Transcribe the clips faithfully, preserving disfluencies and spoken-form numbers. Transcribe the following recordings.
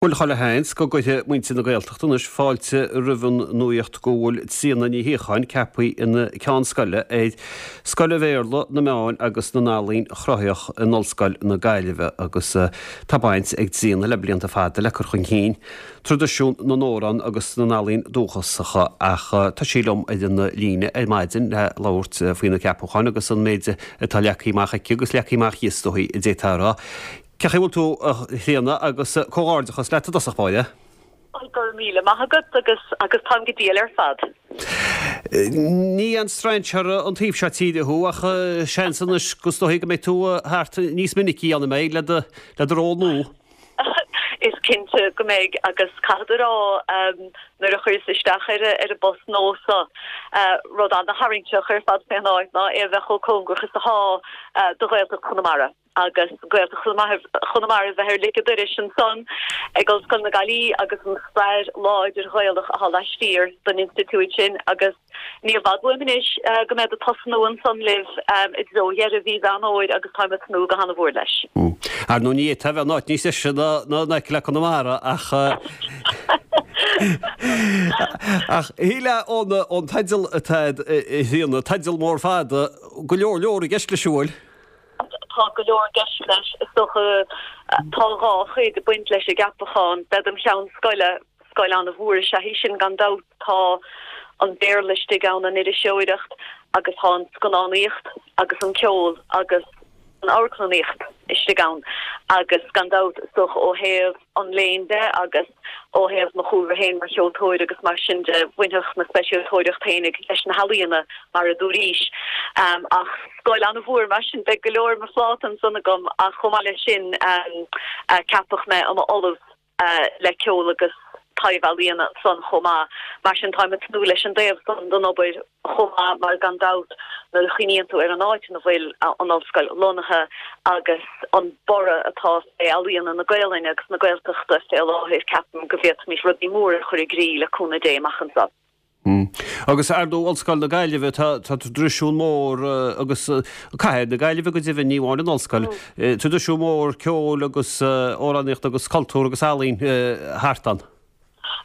Bhuel, chuile sheans go gcuirfidh muintir na Gaeltachta anois fáilte roimh an nuaíocht go bhfuil Tríona Ní Shíocháin ceaptha ina ceann scoile ar Scoil an Bhéarla, na Meáin agus na nEalaíon Chruthaitheach in Ollscoil na Gaillimhe agus tá baint ag Tríona le blianta fada le cur chun cinn traidisiún na n-amhrán agus na n-ealaíon dúchasacha ach tá sí liom ar an líne ar maidin le labhairt faoina ceapachán agus an méid atá leagtha amach aici agus leagtha amach is dóigh a d'fhéadfá a rá. Cén chaoi a bhfuil tú, a Thríona, agus comhghairdeachas leat i dtosach báire. Go raibh míle maith agat agus agus táim go diail ar fad. Ní aon strainséir an taobh seo tíre thú ach seans anois go is dóigh go mbeidh tú thart níos minicí ann, an mbeidh, le do le do ról nua. Is cinnte go mbeidh agus caithfead a rá nuair a chuireas isteach ar ar an bpost nua seo, rud ana-tharraingteach ar fad fén áit ná é a bheith chomh cóngarach is atá do Ghaeltacht Chonamara. agus Gaeltacht Chonamara a bheith ar lic an dorais ansan ag Ollscoil na Gaillimhe agus an stair láidir Ghaelach atá laistiar den institiúid sin agus ní i bhfad uaim anois go mbead ag tosnú ansan libh i dtreo dheireadh mhí Mheán Fhómhair agus táim ag tnúth go hana-mhór leis. Ar ndóigh ní fhéadfá a bheith in áit níos deise ná ná in aice le Conamara ach ach shílfeá ón ón teideal atá agat a Thríona, teideal mór fada, go leor leor i gceist leis an bhfuil? Tá go leor i gceist leis. Is dócha tá dhá chuid ag baint leis an gceapachán. Bead im cheann scoile, scoil an-mhór is ea í sin gan dabht. Tá an Béarla istigh ann, an iriseoireacht agus tá an scannánaíocht agus an ceol agus an amharclannaíocht istigh ann agus gan dabht is dócha ó thaobh an léinn de agus ó thaobh mo chúlra féin mar cheoltóir agus mar sin de, bhainfeadh mo speisialtóireacht féinig leis na healaíona, mar a dúraís. Ach scoil an-mhór, mar sin beidh go leor ar mo phláta ansan agam ach chomh maith leis sin ceapadh mé i m'ollamh le ceol agus taibh-ealaíona ansan chomh maith. Mar sin táim ag tnúth leis an dtaobh san den obair chomh maith mar gan dabht nuair a chuimhníonn tú ar an áit ina bhfuil an ollscoil lonnaithe agus an borradh atá fé ealaíona na Gaolainne agus na Gaeltachta fé láthair ceapaim go bhféadfaimis rudaí móra a chur i gcrích le cúnamh Dé amach anseo. Agus ar ndóigh Ollscoil na Gaillimhe tá traidisiún mór agus cathair na Gaillimhe go deimhin, ní amháin an ollscoil, traidisiún mór ceoil agus amhránaíochta agus cultúr agus ealaín thart ann.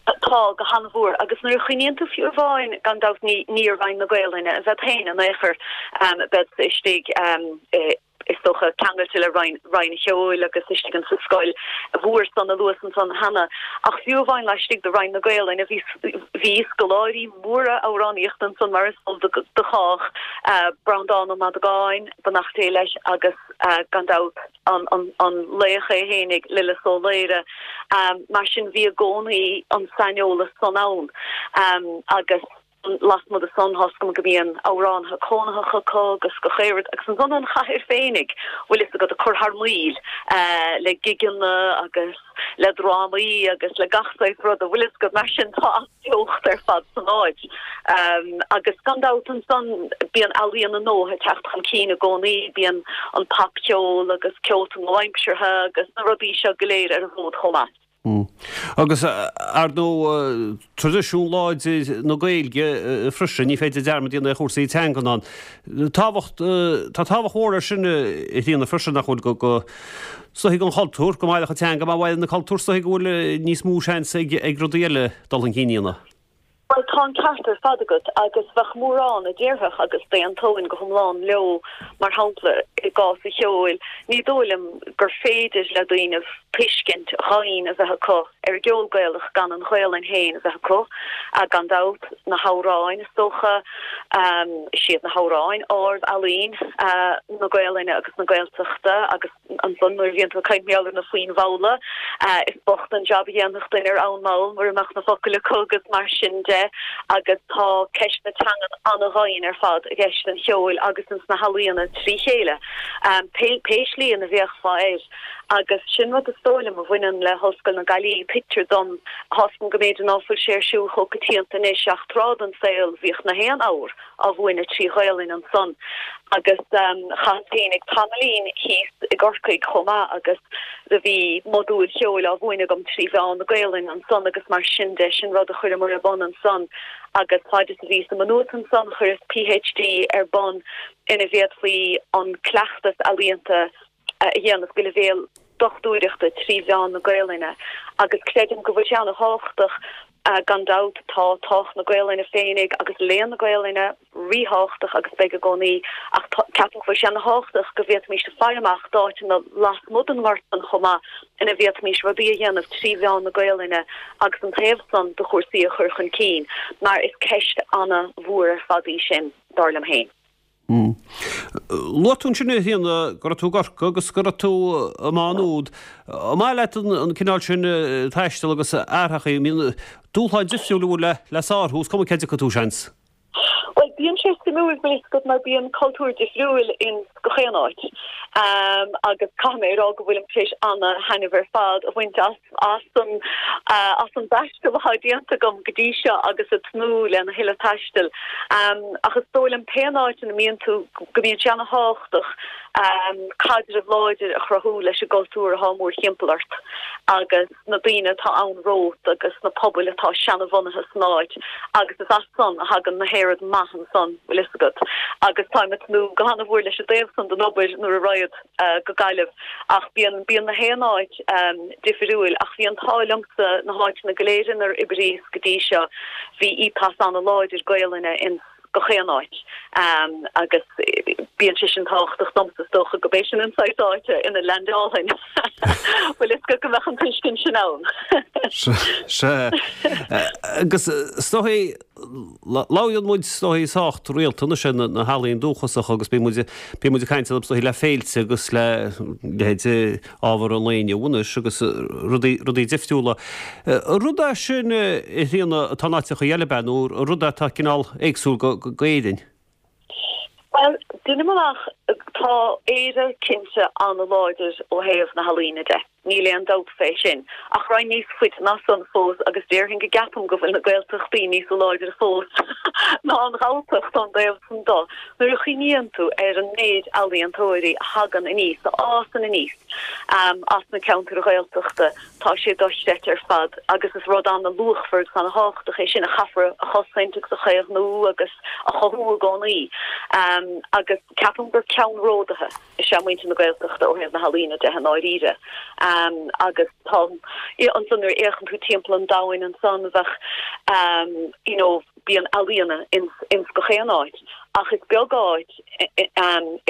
Tá, go han-mhór. Agus nuair a chuimhníonn tú fiú amháin, gan dabht ní ní i Roinn na Gaolainne a bhead féin in aon chor, beadsa istigh i, is dócha, ceangailte le Roinn Roinn an Cheoil agus istigh insa scoil mhór san a luas ansan cheana. Ach fiú amháin laistigh de Roinn na Gaolainne bhí bhí scoláirí móra amhránaíochta ansan mar is eol do chách, Breandán Ó Madagáin, beannacht Dé leis, agus gan dabht an an an laoch é fhéinig, Lillis Ó Laoire. Mar sin bhí i gcónaí an saineolas san ann agus. Lasmuigh de san, tá's agam go mbíonn amhránaithe cónaitheacha acu agus gach aon rud, agus ansan an chathair féinig, bhfuil fhios agat, ag cur thar maoil le gigeanna agus le drámaí agus le gach saghas ruda, bhfuil fhios agat, mar sin tá an-bheocht ar fad san áit. Agus gan dabht ansan bíonn ealaíona nua ag teacht chun cinn i gcónaí, bíonn an popcheol agus ceolta nua-aimseartha agus na rudaí seo go léir ar an bhfód chomh maith. Agus, ar ndóigh, traidisiún láidir na Gaeilge freisin, ní féidir dearmad a dhéanamh ar chúrsaí teangan ann. Tábhacht, tá tábhacht mhór air sin a Thríona freisin, nach bhfuil, go, go, is dóigh don chultúr, go mairfeadh an teanga, má mhaireann an cultúr, is dóigh go bhfuil níos mó seans ag, ag rudaí eile dul chun cinn, a Thríona. Bhuel, tá an ceart ar fad agat, agus bheadh mórán a déarfadh, agus d'aontóinn go hiomlán leo, mar shampla, i gcás an cheoil, ní dóigh liom gur féidir le daoinibh tuiscint dhoimhin a bheith acu ar an gceol Gaelach gan an Ghaelainn féin a bheith acu. Gan dabht, na hamhráin, is dócha, is iad na hamhráin ard-ealaín na Gaelainne agus na Gaeltachta agus, Ansan nuair a bhíonn tú ag caint mar gheall ar na foinn mhalla, is bocht an jab a dhéanfadh duine ar fhonn mall mura mbeadh na focail acu agus mar sin de agus tá ceist na teangan ana-dhoimhin ar fad i gceist an cheoil agus ins na healaíona trí chéile, pé pé slí ina bhféachfá air. Agus sin rud is dóigh liom a bhaineann le hOllscoil na Gaillimhe, tuigtear dom, tá's agam go mb'fhéidir ná fuil sé ar siúl chomh coitianta anois ach tráth den saol bhíodh na haon abhar á mhúineadh trí Ghaolainn ansan agus chaitheas féinig tamaillín thíos i gCorcaigh chomh maith agus do bhí modúil cheoil á mhúineadh agam trí mheán na Gaolainne ansan agus mar sin de, sin rud a chuireamar ar bun ansan agus faid is a bhíos i Maigh Nuat ansan chuireas PhD ar bun ina bhféadfaí an cleachtas ealaíonta a dhéanamh go leibhéal dochtúireachta trí mheán na Gaelainne agus creidim go bhfuil sé an-thábhachtach. Gan dabht tá tábhacht na Gaelainne féinig agus léann na Gaelainne ríthábhachtach agus beidh i gcónaí ach ceapaim go bhfuil sé an-thábhachtach go bhféadfaimis faire amach d'áiteanna lasmuigh den ngort san chomh maith ina bhféadfaimis rudaí a dhéanamh trí mheán na Gaelainne agus an taobh san de chúrsaí a chur chun cinn mar is ceist an-mhór ar fad í sin, dar liom féin. Luaigh tú ansin a Thríona go raibh tú i gCorcaigh agus go raibh tú i Má Nuad. An maith leat an cineál sin taistil agus athraitheacha? Bíonn dúshláin difriúil a bhfuil le sárú, is cuma cá dtiocfaidh tú, seans. Bhuel, bíonn sé suimiúil, bhfuil fhios agat, mar bíonn cultúr difriúil in gach aon áit. Agus caithfidh mé a rá go bhfuilim tar éis ana-thaitneamh ar fad a bhaint as as an as an dtaisteal atá déanta agam go dtí seo agus ag tnúth lena thuilleadh taistil. Ach is dóigh liom pé áit ina mbíonn tú go mbíonn sé ana-thábhachtach caidreamh láidir a chruthú leis an gcultúr atá mórthimpeall ort agus na daoine atá ann romhat agus na pobail atá seanabhunaithe san áit agus is as san a thagann na haon rud maith ansan, bhfuil fhios agat. Agus táim ag tnúth go hana-mhór leis an dtaobh san den obair nuair a raghad go Gaillimh ach bíonn bíonn na haon áit difriúil ach bhí an t-ádh liomsa na háiteanna go léir inar oibríos go dtí seo bhí ethos ana-láidir Gaelainne in gach aon áit agus bíonn sé sin tábhachtach domsa is dócha go b'é sin an saghas áite ina leaindeálfainn. Bhfuil fhios agat go mbeadh an tuiscint sin ann. Sea. Agus is dóigh, labhraíonn muid is dóigh sách rialta anois ar na healaíona dúchasacha agus bíonn muid bíonn muid ag caint is dóigh le féilte agus le leithéid ábhar an lae inniu anois agus rudaí rudaí difriúla. Rud é sin a Thríona atá in áiteacha eile ab ea nó rud é atá cineál éagsúil go go Éirinn? Bhuel, deinim amach, tá Éire cinnte an-láidir ó thaobh na healaíne de, níl aon dabht fé sin. Ach raghainn níos faide ná san fós agus déarfainn go gceapaim go bhfuil na Gaeltachtaí níos láidre fós ná an Ghalltacht ón dtaobh san de. Nuair a chuimhníonn tú ar an méid ealaíontóirí a thagann aníos, a fhásann aníos as na ceantair Ghaeltachta, Tá sé dochreidte ar fad agus is rud an-luachmhar agus an-thábhachtach é sin a chaithfear a chosaint agus a chaomhnú agus a chothú i gcónaí. Agus ceapaim gur ceannródaithe is ea muintir na Gaeltachta ó thaobh na healaíne de i ndáiríre. Agus tá, ansan nuair a fhéachann tú timpeall an domhain ansan bheadh you know bíonn ealaíona ins ins gach aon áit ach is beag áit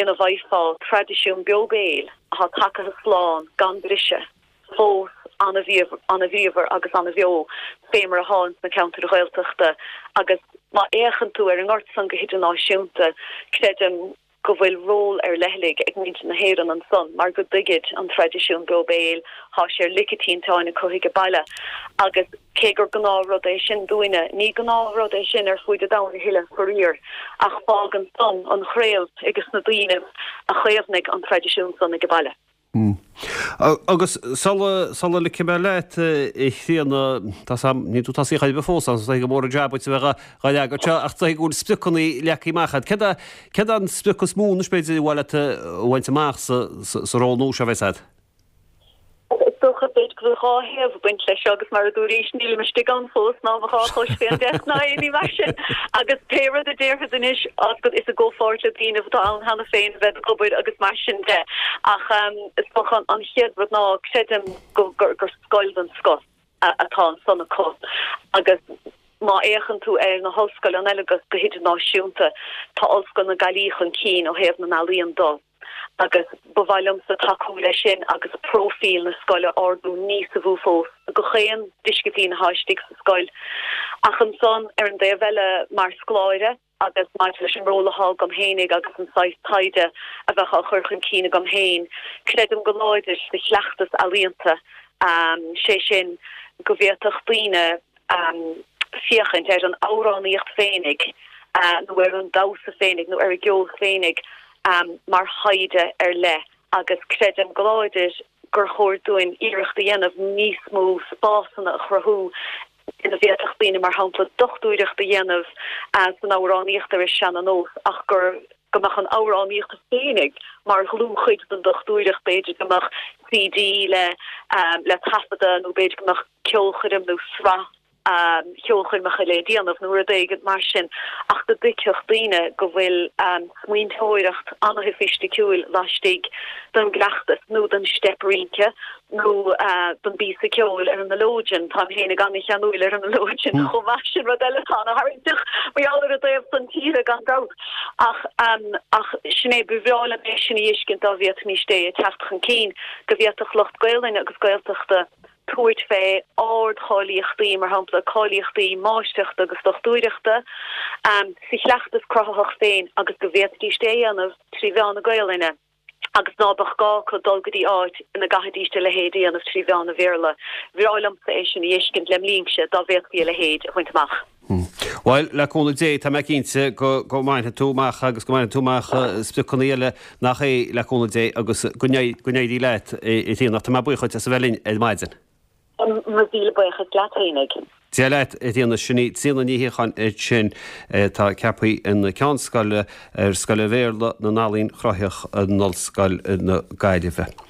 ina bhfaighfeá traidisiún beo béil atá tagaithe slán gan briseadh. fós an-bhríomhar agus an-bheo fé mar atá ins na ceantair Ghaeltachta agus má fhéachann tú ar an ngort san go hidirnáisiúnta, creidim go bhfuil ról ar leithligh ag muintir na hÉireann ansan mar go dtuigid an traidisiún beo béil, thá sé ar lic an tinteáin acu age baile agus cé gur gnáthrud é sin dúinne, ní gnáthrud é sin ar fuaid an domhain a thuilleadh, faraor, ach fágann san an chraobh ages na daoinibh a chaomhnaigh an traidisiún san age baile. Agus sula, sula ligfidh mé leat, a Thríona, tá 's a'm, níl tú tosaithe chor ar bith fós ann, is dóigh gur mór an jab duit a bheith dhá fhreagairt seo, ach is dóigh go bhfuil spriocanna leagtha amach agat. Céard é, céard é an sprioc is mó anois b'fhéidir ar mhaith leat a bhaint amach sa, sa, sa ról nua seo a bheas agat? Is dócha, b'fhéidir go bhfuil dhá thaobh ag baint leis seo agus mar a dúraís, nílim istigh ann fós ná mo dhá chois fén deasc ná aon ní mar sin agus pé rud a déarfad anois is i gcomhpháirt le daoine atá ann cheana féin a bhead ag obair agus mar sin de. Ach is dócha an chéad rud ná creidim gur scoil den scoth atá ansan acu agus má fhéachann tú ar na hollscoileanna eile go hidirnáisiúnta, tá Ollscoil na Gaillimhe chun cinn ó thaobh na n-ealaíon de. agus ba mhaith liomsa tacú leis sin agus próifíl na scoile a ardú níosa mhó fós do gach aon disciplín atá istigh sa scoil. Ach ansan, ar an dtaobh eile, mar scoláire agus maidir leis an ról atá agam fhéinig agus an saghas taighde a bheadh á chur chun cinn agam féin, creidim go láidir sa chleachtas ealaíonta, sé sin go bhféadfadh daoine féachaint ar an amhránaíocht féinig nó ar an damhsa féinig nó ar an gceol féinig mar thaighde ar leith agus creidim go láidir gur chóir dúinn iarracht a dhéanamh níos mó spásanna a chruthú ina bhféadfadh daoine, mar shampla, dochtúireacht a dhéanamh san amhránaíocht ar an seana-nós ach gur go mbeadh an amhránaíocht féinig mar dhlúthchuid den dochtúireacht, b'fhéidir go mbeadh CD le le taifeadadh nó b'fhéidir go mbeadh ceolchoirm nó sraith Cheolchoirmeacha le déanamh nó rud éigin mar sin ach go dtuigfeadh daoine go bhfuil smaointeoireacht an-shoifisticiúil laistigh den gcleachtas nó den steip rince nó den bpíosa ceoil ar an mileoidean. Táim féinig an-cheanúil ar an mileoidean chomh maith sin rud eile atá ana-tharraingteach mar gheall ar an dtaobh san tíre gan dabht. Ach ach sin é ba bhreá liom é sin a fheiscint dá bhféadfaimis é a teacht chun cinn go bhféadfadh lucht Gaelainne agus Gaeltachta tabhairt fé ardcháilíochtaí, mar shampla cáilíochtaí máistreachta agus dochtúireachta, sa chleachtas cruthaitheach féin agus go bhféadfaidís é a dhéanamh trí mheán na Gaelainne agus ná beadh gá acu dul go dtí áit ina gcaithfidís a leithéid a dhéanamh trí mheán an Bhéarla. Bhreá liomsa é sin a fheiscint lem linnse dá bhféadfaí a leithéid a bhaint amach. Bhuel, le cúnamh Dé, tá mé cinnte go go mbainfidh tú amach agus go mbainfidh tú amach spriocanna eile nach é le cúnamh Dé agus go n-éirí leat a Thríona. Tá mé buíoch duit as a bheith linn ar maidin. Mo mhíle buíochas leat fhéinig. Dia leat, a Thríona. Sin í Tríona Ní Shíocháin ansin atá ceaptha ina Ceann Scoile ar Scoil Bhéarla na nEalaíon Chruthaitheach in Ollscoil na Gaillimhe.